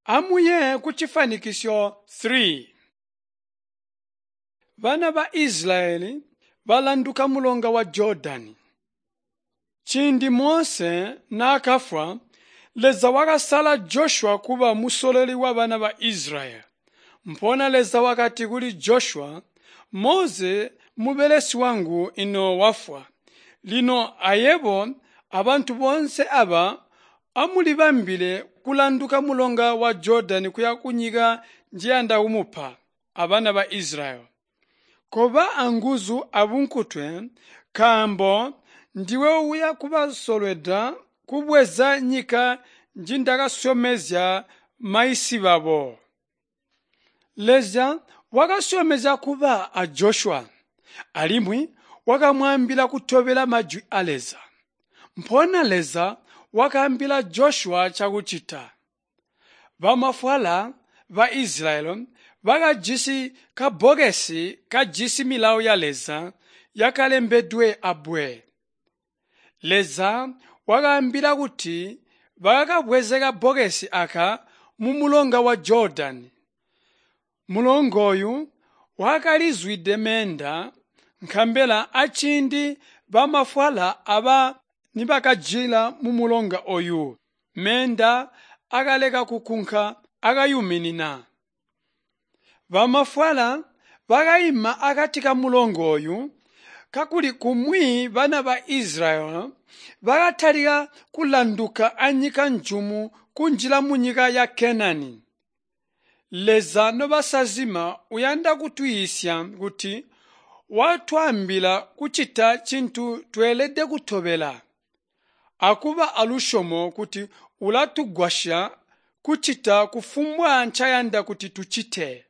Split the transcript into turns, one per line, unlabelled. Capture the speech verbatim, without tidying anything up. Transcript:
Amuye kucifanikisyo three. Bana ba Isilayeli balanduka mulonga wa Jodani. Ciindi Mose naakafwa, Leza wakasala Joshua kuba musololi wabana ba Isilayeli. Mpoona Leza wakati kuli Joshua, Mose mubelesi wangu ino wafwa. Lino ayebo abantu boonse aba amulibambile kulanduka mulonga wa Jodani kuya kunyika njiyanda kumupa abana ba Isilayeli. Koba anguzu abunkutwe, nkaambo ndiwe uya kubasolweda kubweza nyika njindakasyomezya maisi babo. Leza wakasyomezya kuba a Joshua, alimwi wakamwaambila kutobela majwi a Leza. Mpoona Leza wakaambila Joshua cakucita. Bamafwala ba Isilayeli bakajisi kabbokesi kajisi milawo ya Leza yakalembedwe abbwe. Leza wakaambila kuti bakakabweze kabbokesi aka mumulonga wa Jodani. Mulonga ooyu wakalizwide meenda, nkabela aciindi bamafwala aba nibakanjila mumulonga ooyu, meenda akaleka kukunka akayuminina. Bamafwala bakaima akati kamulonga ooyu, kakuli kumwi bana ba Isilayeli bakatalika kulanduka anyika njumu kunjila munyika ya Kenani. Leza nobasazima uyanda kutuyiisya kuti watwaambila kucita cintu tweelede kutobela, akuba alusyomo kuti ulatugwasya kucita kufumbwa ncayanda kuti tucite.